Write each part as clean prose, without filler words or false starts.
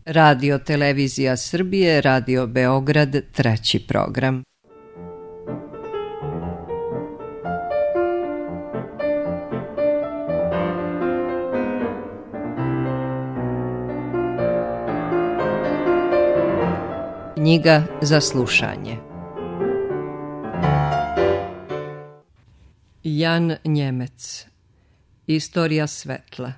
Radio Televizija Srbije, Radio Beograd, treći program. Knjiga za slušanje. Jan Njemec. Istorija svetla.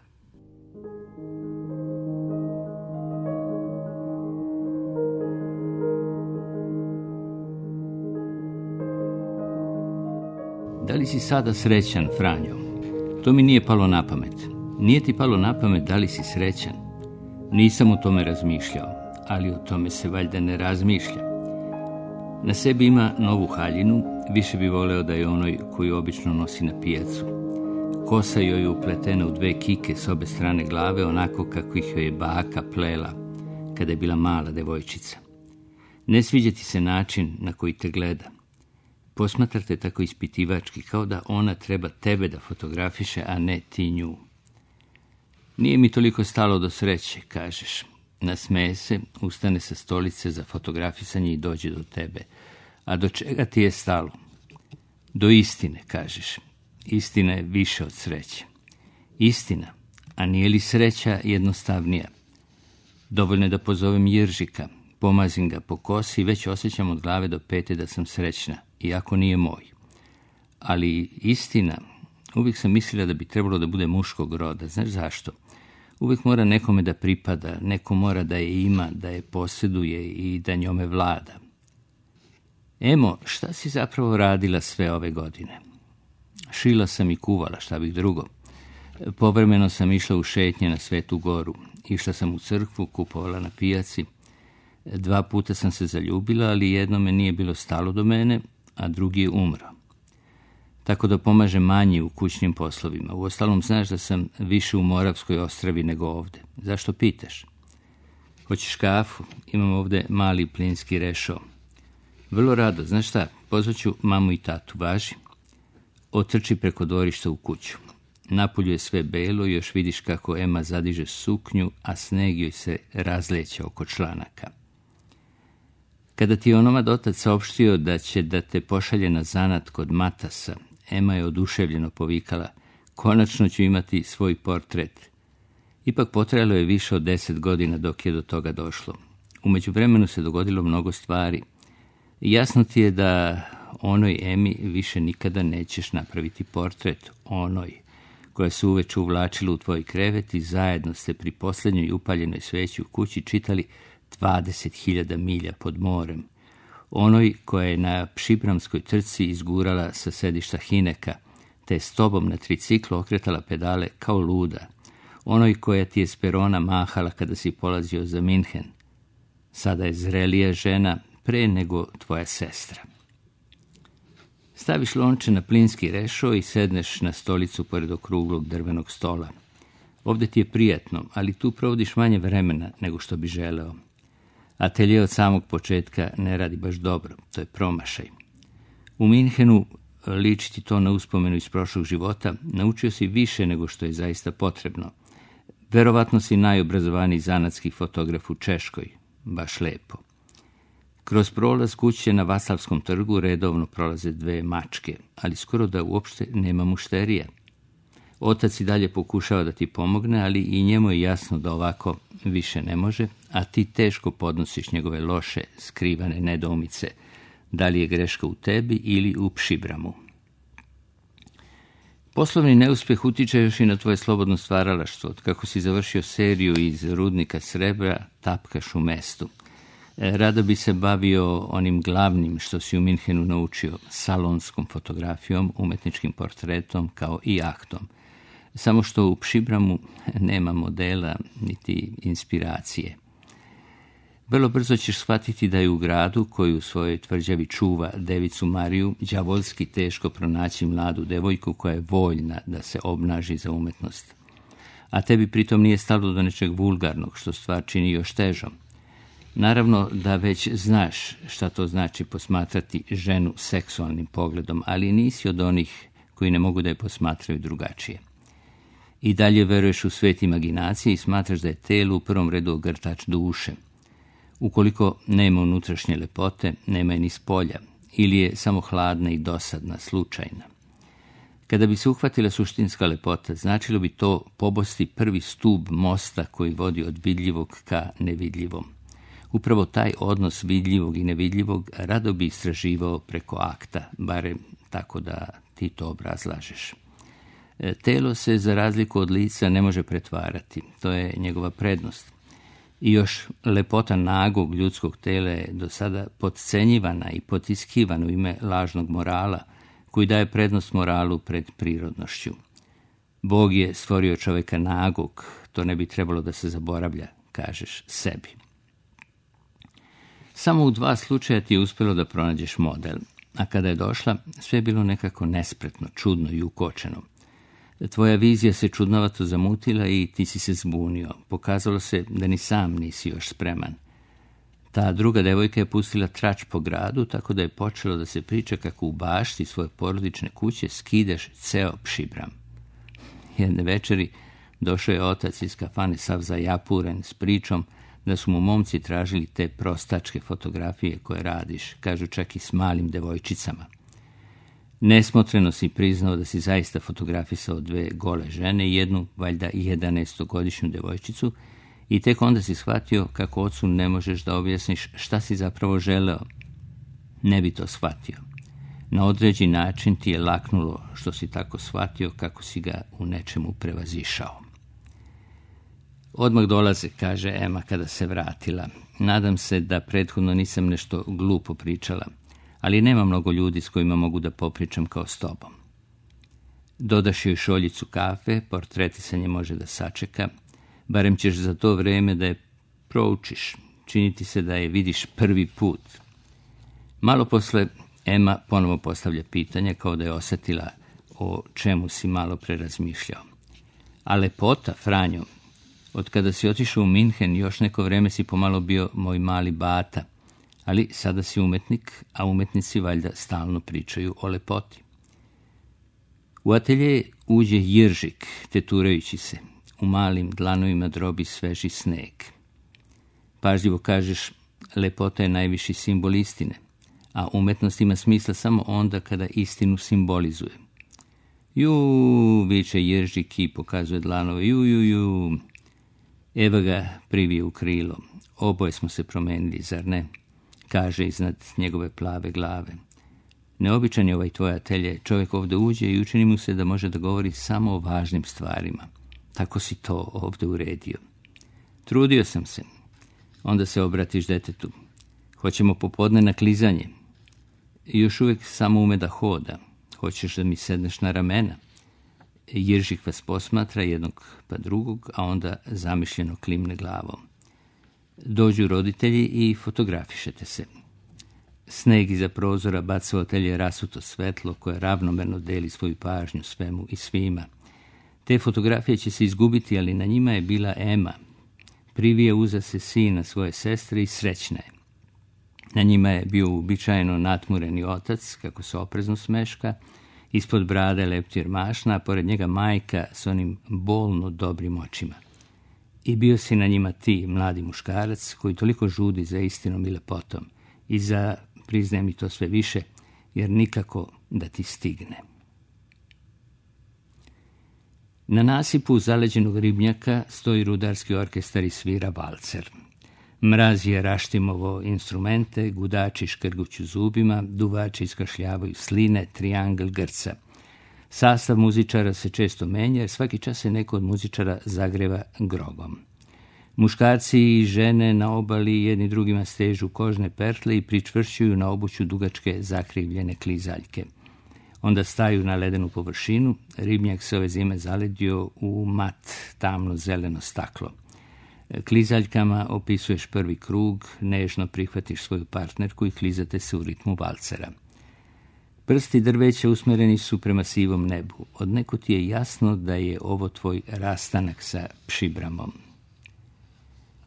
Da li si sada srećan, Franjo? To mi nije palo na pamet. Nije ti palo na pamet da li si srećan? Nisam o tome razmišljao, ali o tome se valjda ne razmišlja. Na sebi ima novu haljinu, više bi voleo da je onoj koju obično nosi na pijacu. Kosa joj je upletena u 2 kike s obe strane glave, onako kako ih joj je baka plela kada je bila mala devojčica. Ne sviđa ti se način na koji te gleda. Posmatrate tako ispitivački, kao da ona treba tebe da fotografiše, a ne ti nju. Nije mi toliko stalo do sreće, kažeš. Nasmeje se, ustane sa stolice za fotografisanje i dođe do tebe. A do čega ti je stalo? Do istine, kažeš. Istina je više od sreće. Istina, a nije li sreća jednostavnija? Dovoljno je da pozovem Jiržika, pomazim ga po kosi i već osjećam od glave do pete da sam srećna, iako nije moj. Ali istina, uvijek sam mislila da bi trebalo da bude muškog roda. Znaš zašto? Uvijek mora nekome da pripada, neko mora da je ima, da je posjeduje i da njome vlada. Emo, šta si zapravo radila sve ove godine? Šila sam i kuvala, šta bih drugo. Povremeno sam išla u šetnje na Svetu Goru. Išla sam u crkvu, kupovala na pijaci. 2 puta sam se zaljubila, ali jednome nije bilo stalo do mene, a drugi je umro. Tako da pomažem manji u kućnim poslovima. Uostalom, znaš da sam više u Moravskoj ostravi nego ovde. Zašto pitaš? Hoćeš kafu? Imam ovde mali plinski rešo. Vrlo rado, znaš šta, pozvaću mamu i tatu, važi. Otrči preko dvorišta u kuću. Napolju je sve belo i još vidiš kako Ema zadiže suknju, a sneg joj se razleće oko članaka. Kada ti je onomad otac saopštio da će da te pošalje na zanat kod Matasa, Ema je oduševljeno povikala: konačno ću imati svoj portret. Ipak potrajalo je više od 10 godina dok je do toga došlo. U međuvremenu se dogodilo mnogo stvari. Jasno ti je da onoj Emi više nikada nećeš napraviti portret, onoj koja se uveče uvlačila u tvoj krevet i zajedno ste pri posljednjoj upaljenoj sveći u kući čitali 20.000 milja pod morem, onoj koja je na pšibramskoj trci izgurala sa sedišta Hineka, te je s tobom na triciklu okretala pedale kao luda, onoj koja ti je s perona mahala kada si polazio za Minhen. Sada je zrelija žena pre nego tvoja sestra. Staviš lonče na plinski rešo i sedneš na stolicu pored okruglog drvenog stola. Ovde ti je prijatno, ali tu provodiš manje vremena nego što bi želeo. Atelje od samog početka ne radi baš dobro, to je promašaj. U Minhenu, liči ti to na uspomenu iz prošlog života, naučio si više nego što je zaista potrebno. Verovatno si najobrazovaniji zanatski fotograf u Češkoj, baš lepo. Kroz prolaz kuće na Vasavskom trgu redovno prolaze 2 mačke, ali skoro da uopšte nema mušterija. Otac i dalje pokušava da ti pomogne, ali i njemu je jasno da ovako više ne može, a ti teško podnosiš njegove loše, skrivane nedoumice, da li je greška u tebi ili u pšibramu. Poslovni neuspjeh utiče još i na tvoje slobodno stvaralaštvo. Kako si završio seriju iz rudnika srebra, tapkaš u mestu. Rado bi se bavio onim glavnim što si u Minhenu naučio, salonskom fotografijom, umetničkim portretom kao i aktom. Samo što u pšibramu nema modela niti inspiracije. Vrlo brzo ćeš shvatiti da je u gradu, koji u svojoj tvrđavi čuva devicu Mariju, đavolski teško pronaći mladu devojku koja je voljna da se obnaži za umetnost. A tebi pritom nije stalo do nečeg vulgarnog, što stvar čini još težom. Naravno da već znaš šta to znači posmatrati ženu seksualnim pogledom, ali nisi od onih koji ne mogu da je posmatraju drugačije. I dalje veruješ u svet imaginacije i smatraš da je telo u prvom redu ogrtač duše. Ukoliko nema unutrašnje lepote, nema je ni spolja, ili je samo hladna i dosadna, slučajna. Kada bi se uhvatila suštinska lepota, značilo bi to pobosti prvi stub mosta koji vodi od vidljivog ka nevidljivom. Upravo taj odnos vidljivog i nevidljivog rado bi istraživao preko akta, barem tako da ti to obrazlažeš. Telo se, za razliku od lica, ne može pretvarati. To je njegova prednost. I još lepota nagog ljudskog tela je do sada podcenjivana i potiskivana u ime lažnog morala, koji daje prednost moralu pred prirodnošću. Bog je stvorio čovjeka nagog, to ne bi trebalo da se zaboravlja, kažeš sebi. Samo u 2 slučaja ti je uspjelo da pronađeš model, a kada je došla, sve je bilo nekako nespretno, čudno i ukočeno. Tvoja vizija se čudnovato zamutila i ti si se zbunio. Pokazalo se da ni sam nisi još spreman. Ta druga devojka je pustila trač po gradu, tako da je počelo da se priča kako u bašti svoje porodične kuće skidaš ceo pšibram. Jedne večeri došao je otac iz kafane sav zajapuren s pričom da su mu momci tražili te prostačke fotografije koje radiš, kažu čak i s malim devojčicama. Nesmotreno si priznao da si zaista fotografisao 2 gole žene i jednu, valjda 11-godišnju devojčicu, i tek onda si shvatio kako ocu ne možeš da objasniš šta si zapravo želeo. Ne bi to shvatio. Na određen način ti je laknulo što si tako shvatio kako si ga u nečemu prevazišao. Odmah dolaze, kaže Ema kada se vratila. Nadam se da prethodno nisam nešto glupo pričala, ali nema mnogo ljudi s kojima mogu da popričam kao s tobom. Dodaš joj šoljicu kafe, portretisanje može da sačeka, barem ćeš za to vreme da je proučiš, činiti se da je vidiš prvi put. Malo posle Ema ponovo postavlja pitanje kao da je osjetila o čemu si malo pre razmišljao. A lepota, Franjo, od kada si otišao u Minhen još neko vreme si pomalo bio moj mali bata, ali sada si umetnik, a umetnici valjda stalno pričaju o lepoti. U atelje uđe Jiržik, teturajući se. U malim dlanovima drobi sveži sneg. Pažljivo kažeš, lepota je najviši simbol istine, a umetnost ima smisla samo onda kada istinu simbolizuje. Ju, viče Jiržik i pokazuje dlanove, ju. Eva ga privije u krilo. Oboje smo se promenili, zar ne? Kaže iznad njegove plave glave. Neobičan je ovaj tvoj atelje. Čovjek ovdje uđe i učini mu se da može da govori samo o važnim stvarima. Tako si to ovdje uredio. Trudio sam se. Onda se obratiš detetu. Hoćemo popodne na klizanje. I još uvijek samo ume da hoda. Hoćeš da mi sedneš na ramena? Jiržik vas posmatra jednog pa drugog, a onda zamišljeno klimne glavom. Dođu roditelji i fotografišete se. Sneg iza prozora baca u atelje rasuto svetlo koje ravnomerno deli svoju pažnju svemu i svima. Te fotografije će se izgubiti, ali na njima je bila Ema. Privije uza se sina svoje sestre i srećna je. Na njima je bio uobičajeno natmureni otac, kako se oprezno smeška, ispod brade leptir mašna, a pored njega majka s onim bolno dobrim očima. I bio si na njima ti, mladi muškarac, koji toliko žudi za istinom i lepotom i za, priznajem mi to sve više, jer nikako da ti stigne. Na nasipu zaleđenog ribnjaka stoji rudarski orkestar i svira valcer. Mraz je raštimovo instrumente, gudači škrguću zubima, duvači iskašljavaju sline, triangl grca. Sastav muzičara se često menja, jer svaki čas se neko od muzičara zagreva grogom. Muškarci i žene na obali jedni drugima stežu kožne pertle i pričvršćuju na obuću dugačke zakrivljene klizaljke. Onda staju na ledenu površinu, ribnjak se ove zime zaledio u mat, tamno zeleno staklo. Klizaljkama opisuješ prvi krug, nežno prihvatiš svoju partnerku i klizate se u ritmu valcera. Prsti drveća usmjereni su prema sivom nebu. Odnekud ti je jasno da je ovo tvoj rastanak sa pšibramom.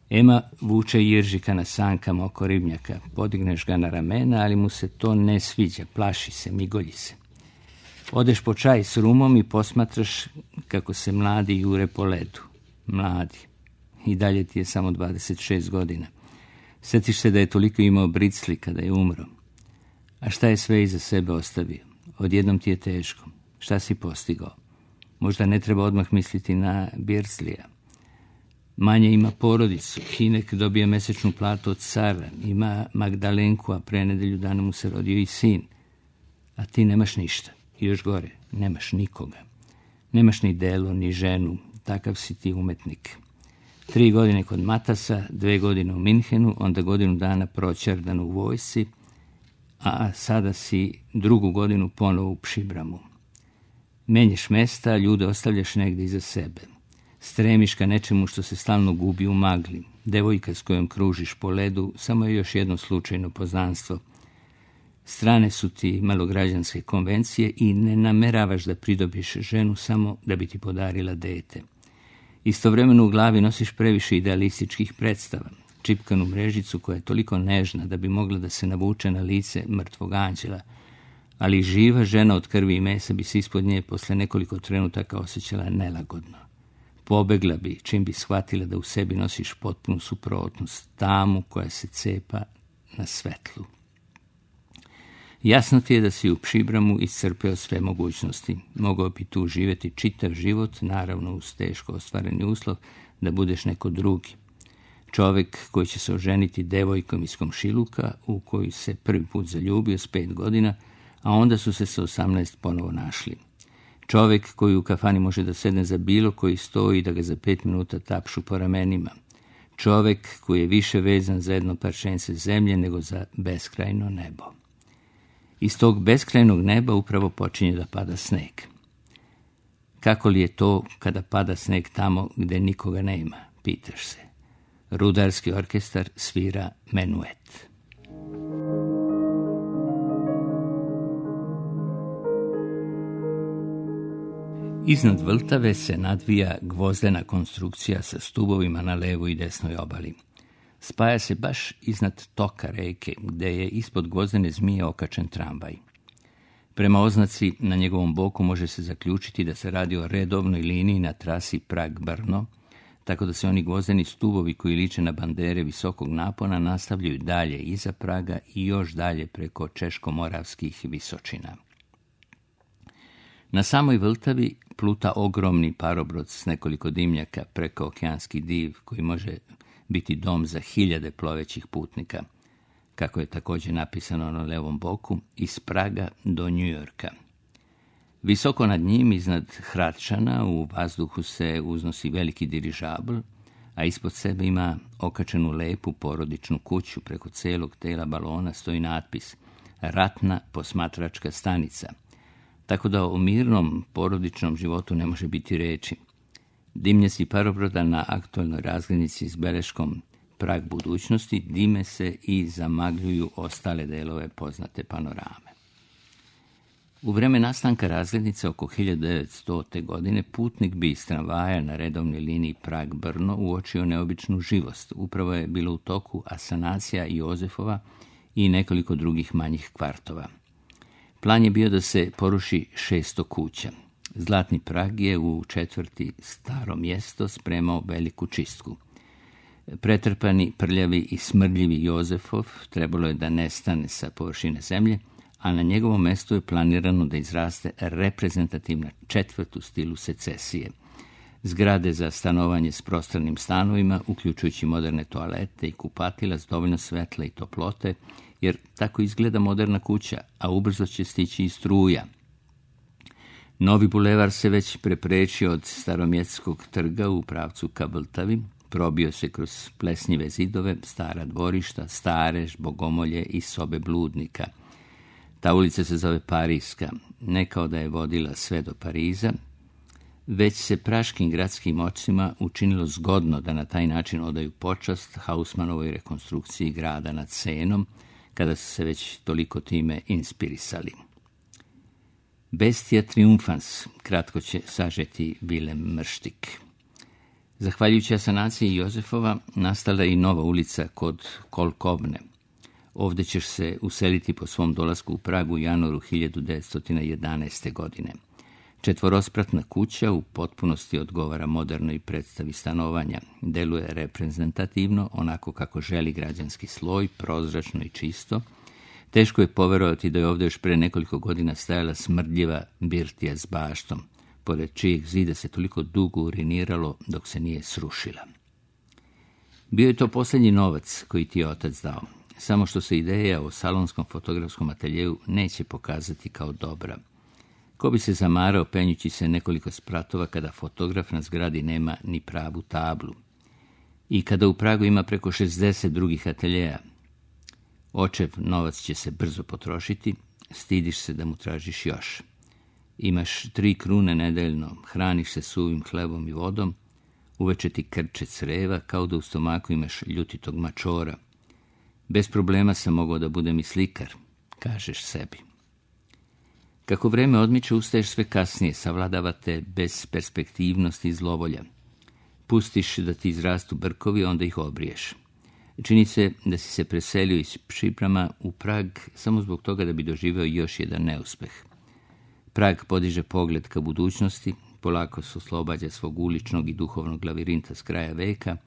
Ema vuče Jiržika na sankama oko ribnjaka. Podigneš ga na ramena, ali mu se to ne sviđa, plaši se, migolji se. Odeš po čaj s rumom i posmatraš kako se mladi jure po ledu. Mladi. I dalje ti je samo 26 godina. Sjetiš se da je toliko imao bricli kada je umro. A šta je sve iza sebe ostavio? Odjednom ti je teško. Šta si postigao? Možda ne treba odmah misliti na Birslija. Manje ima porodicu. Hinek dobije mesečnu platu od cara. Ima Magdalenku, a pre nedelju dana mu se rodio i sin. A ti nemaš ništa. I još gore, nemaš nikoga. Nemaš ni delo, ni ženu. Takav si ti umetnik. 3 godine kod Matasa, 2 godine u Minhenu, onda godinu dana proćerdan u vojsci, a sada si 2. godinu ponovo u Pšibramu. Menjaš mesta, ljude ostavljaš negdje iza sebe. Stremiš ka nečemu što se stalno gubi u magli. Devojka s kojom kružiš po ledu samo je još jedno slučajno poznanstvo. Strane su ti malograđanske konvencije i ne nameravaš da pridobiš ženu samo da bi ti podarila dete. Istovremeno u glavi nosiš previše idealističkih predstava, čipkanu mrežicu koja je toliko nežna da bi mogla da se navuče na lice mrtvog anđela, ali živa žena od krvi i mesa bi se ispod nje posle nekoliko trenutaka osjećala nelagodno. Pobegla bi čim bi shvatila da u sebi nosiš potpunu suprotnost, tamu koja se cepa na svetlu. Jasno ti je da si u Pšibramu iscrpeo sve mogućnosti. Mogao bi tu živjeti čitav život, naravno uz teško ostvareni uslov da budeš neko drugi. Čovjek koji će se oženiti devojkom iz komšiluka u koju se prvi put zaljubio s 5 godina, a onda su se sa 18 ponovo našli. Čovjek koji u kafani može da sedne za bilo koji stoji i da ga za 5 minuta tapšu po ramenima. Čovjek koji je više vezan za jedno parčence zemlje nego za beskrajno nebo. Iz tog beskrajnog neba upravo počinje da pada sneg. Kako li je to kada pada sneg tamo gde nikoga nema, pitaš se. Rudarski orkestar svira menuet. Iznad Vltave se nadvija gvozdena konstrukcija sa stubovima na levoj i desnoj obali. Spaja se baš iznad toka reke, gde je ispod gvozdene zmije okačen tramvaj. Prema oznaci na njegovom boku može se zaključiti da se radi o redovnoj liniji na trasi Prag-Brno, tako da se oni gvozdeni stubovi koji liče na bandere visokog napona nastavljaju dalje iza Praga i još dalje preko češko-moravskih visočina. Na samoj Vltavi pluta ogromni parobrod s nekoliko dimnjaka, preko okeanski div koji može biti dom za 1000 plovećih putnika, kako je također napisano na levom boku, iz Praga do Njujorka. Visoko nad njim, iznad Hradčana, u vazduhu se uznosi veliki dirižabl, a ispod sebe ima okačenu lepu porodičnu kuću. Preko celog tela balona stoji natpis Ratna posmatračka stanica, tako da o mirnom porodičnom životu ne može biti reči. Dimnjaci parobroda na aktualnoj razglednici s beleškom Prag budućnosti dime se i zamagljuju ostale delove poznate panorame. U vreme nastanka razglednice oko 1900. godine putnik bi iz tramvaja na redovnoj liniji Prag-Brno uočio neobičnu živost. Upravo je bilo u toku asanacija Jozefova i nekoliko drugih manjih kvartova. Plan je bio da se poruši 600 kuća. Zlatni Prag je u četvrti Staro mjesto spremao veliku čistku. Pretrpani, prljavi i smrdljivi Jozefov trebalo je da nestane sa površine zemlje, a na njegovom mjestu je planirano da izraste reprezentativna četvrt u stilu secesije. Zgrade za stanovanje s prostranim stanovima, uključujući moderne toalete i kupatila s dovoljno svetla i toplote, jer tako izgleda moderna kuća, a ubrzo će stići i struja. Novi bulevar se već preprečio od Staromjetskog trga u pravcu ka Vltavi, probio se kroz plesnjive zidove, stara dvorišta, stare bogomolje i sobe bludnika. Ta ulica se zove Pariska, ne kao da je vodila sve do Pariza, već se praškim gradskim očima učinilo zgodno da na taj način odaju počast Hausmanovoj rekonstrukciji grada nad Senom, kada su se već toliko time inspirisali. Bestia triumphans, kratko će sažeti Vilem Mrštik. Zahvaljujući asanaciji Jozefova, nastala je i nova ulica kod Kolkovne. Ovdje ćeš se useliti po svom dolasku u Pragu u januaru 1911. godine. 4-spratna kuća u potpunosti odgovara modernoj predstavi stanovanja. Deluje reprezentativno, onako kako želi građanski sloj, prozračno i čisto. Teško je poverovati da je ovdje još pre nekoliko godina stajala smrdljiva birtija s baštom, pored čijeg zida se toliko dugo uriniralo dok se nije srušila. Bio je to posljednji novac koji ti je otac dao, samo što se ideja o salonskom fotografskom ateljeju neće pokazati kao dobra. Ko bi se zamarao penjući se nekoliko spratova kada fotograf na zgradi nema ni pravu tablu. I kada u Pragu ima preko 60 drugih ateljeja. Očev novac će se brzo potrošiti, stidiš se da mu tražiš još. Imaš 3 krune nedeljno, hraniš se suvim hlebom i vodom, uveče ti krče creva kao da u stomaku imaš ljutitog mačora. Bez problema sam mogao da budem i slikar, kažeš sebi. Kako vreme odmiče, ustaješ sve kasnije, savladava te bezperspektivnost i zlovolja. Pustiš da ti izrastu brkovi, onda ih obriješ. Čini se da si se preselio iz Šiprama u Prag samo zbog toga da bi doživeo još jedan neuspeh. Prag podiže pogled ka budućnosti, polako se oslobađa svog uličnog i duhovnog lavirinta s kraja veka,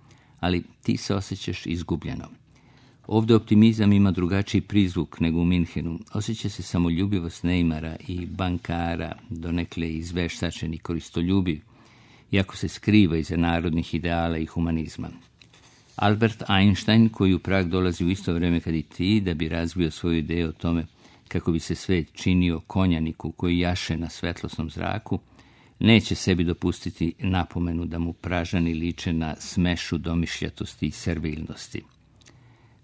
ali ti se osjećaš izgubljeno. Ovdje optimizam ima drugačiji prizvuk nego u Minhenu. Osjeća se samoljubivost Neymara i bankara, donekle izveštačen i koristoljubiv, iako se skriva iza narodnih ideala i humanizma. Albert Einstein, koji u Prag dolazi u isto vrijeme kad i ti, da bi razvio svoju ideju o tome kako bi se svet činio konjaniku koji jaše na svetlosnom zraku, neće sebi dopustiti napomenu da mu Pražani liče na smešu domišljatosti i servilnosti.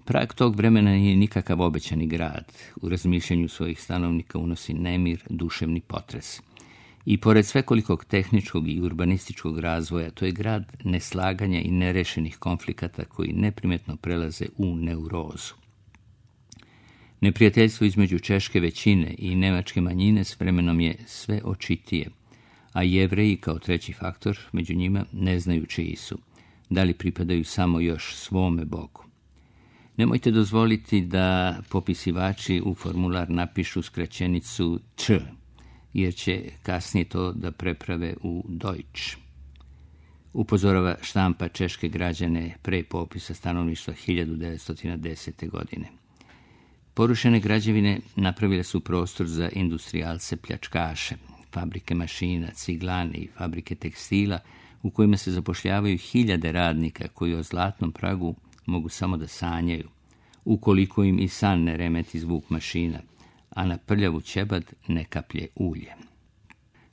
Prag tog vremena nije nikakav obećani grad. U razmišljanju svojih stanovnika unosi nemir, duševni potres. I pored svekolikog tehničkog i urbanističkog razvoja, to je grad neslaganja i nerešenih konflikata koji neprimetno prelaze u neurozu. Neprijateljstvo između češke većine i nemačke manjine s vremenom je sve očitije, a Jevreji kao treći faktor među njima ne znaju čiji su, da li pripadaju samo još svome Bogu. Nemojte dozvoliti da popisivači u formular napišu skraćenicu Č, jer će kasnije to da preprave u Deutsch. Upozorava štampa češke građane pre popisa stanovništva 1910. godine. Porušene građevine napravile su prostor za industrijalce pljačkaše, fabrike mašina, ciglane i fabrike tekstila u kojima se zapošljavaju 1000 radnika koji o zlatnom Pragu mogu samo da sanjaju, ukoliko im i san ne remeti zvuk mašina, a na prljavu ćebad ne kaplje ulje.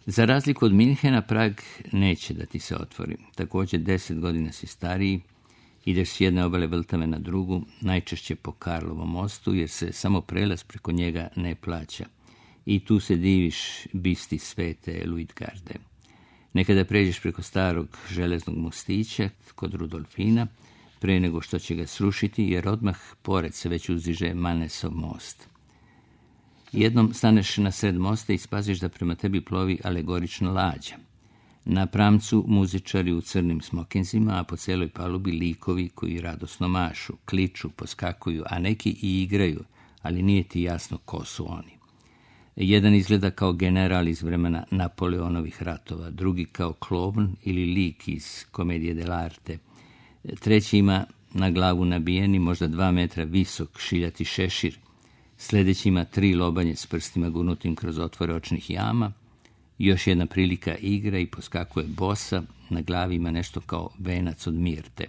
Za razliku od Minhena, Prag neće da ti se otvori. Također 10 godina si stariji, ideš s jedne obale Vltave na drugu, najčešće po Karlovom mostu, jer se samo prelaz preko njega ne plaća. I tu se diviš bisti svete Luitgarde. Nekada pređeš preko starog železnog mostića kod Rudolfina, pre nego što će ga srušiti, jer odmah pored se već uzdiže Mannesov most. Jednom staneš na sred mosta i spaziš da prema tebi plovi alegorična lađa. Na pramcu muzičari u crnim smokinzima, a po cijeloj palubi likovi koji radosno mašu, kliču, poskakuju, a neki i igraju, ali nije ti jasno ko su oni. Jedan izgleda kao general iz vremena Napoleonovih ratova, drugi kao klovn ili lik iz komedije dell'arte. Treći ima na glavu nabijeni, možda 2 metra visok, šiljati šešir. Sljedeći ima 3 lobanje s prstima gurnutim kroz otvore očnih jama. Još jedna prilika igra i poskakuje bosa, na glavi ima nešto kao venac od mirte.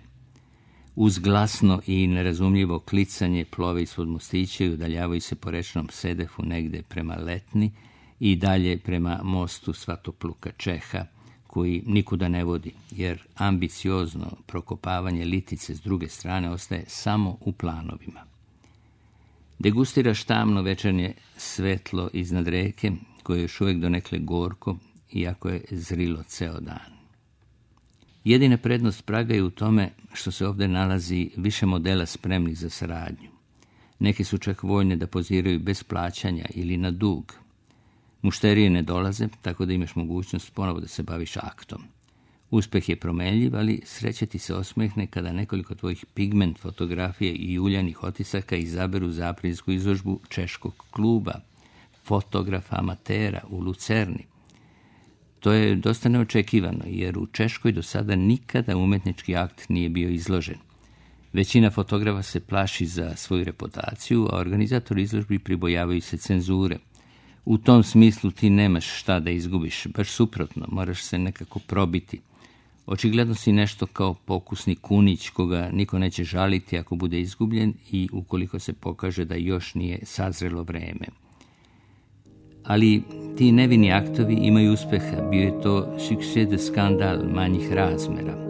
Uz glasno i nerazumljivo klicanje plove ispod mostića i udaljavaju se po rečnom sedefu negde prema Letni i dalje prema mostu Svatopluka Čeha, koji nikuda ne vodi, jer ambiciozno prokopavanje Litice s druge strane ostaje samo u planovima. Degustiraš tamno večernje svetlo iznad reke, koje je još uvijek donekle gorko, iako je zrilo ceo dan. Jedina prednost Praga je u tome što se ovdje nalazi više modela spremnih za saradnju. Neki su čak voljne da poziraju bez plaćanja ili na dug. Mušterije ne dolaze, tako da imaš mogućnost ponovo da se baviš aktom. Uspeh je promenljiv, ali sreća ti se osmehne kada nekoliko tvojih pigment fotografije i uljanih otisaka izaberu za aprilsku izložbu češkog kluba, fotografa amatera u Lucerni. To je dosta neočekivano, jer u Češkoj do sada nikada umetnički akt nije bio izložen. Većina fotografa se plaši za svoju reputaciju, a organizatori izložbi pribojavaju se cenzure. U tom smislu ti nemaš šta da izgubiš, baš suprotno, moraš se nekako probiti. Očigledno si nešto kao pokusni kunić koga niko neće žaliti ako bude izgubljen i ukoliko se pokaže da još nije sazrelo vreme. Ali ti nevini aktovi imaju uspeha, bio je to succès de skandal manjih razmera.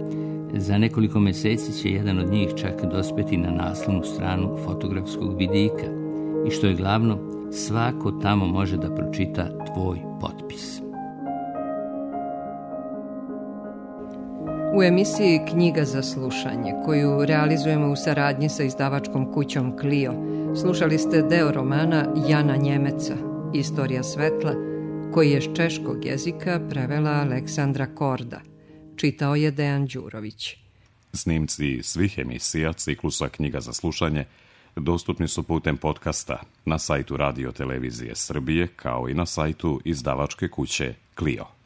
Za nekoliko meseci će jedan od njih čak dospeti na naslovnu stranu fotografskog vidika i što je glavno, svako tamo može da pročita tvoj potpis. U emisiji Knjiga za slušanje, koju realizujemo u saradnji sa izdavačkom kućom Clio, slušali ste deo romana Jana Njemeca, Istorija svetla, koji je s češkog jezika prevela Aleksandra Korda. Čitao je Dejan Đurović. Snimci svih emisija ciklusa Knjiga za slušanje dostupni su putem podcasta na sajtu Radio Televizije Srbije, kao i na sajtu izdavačke kuće Clio.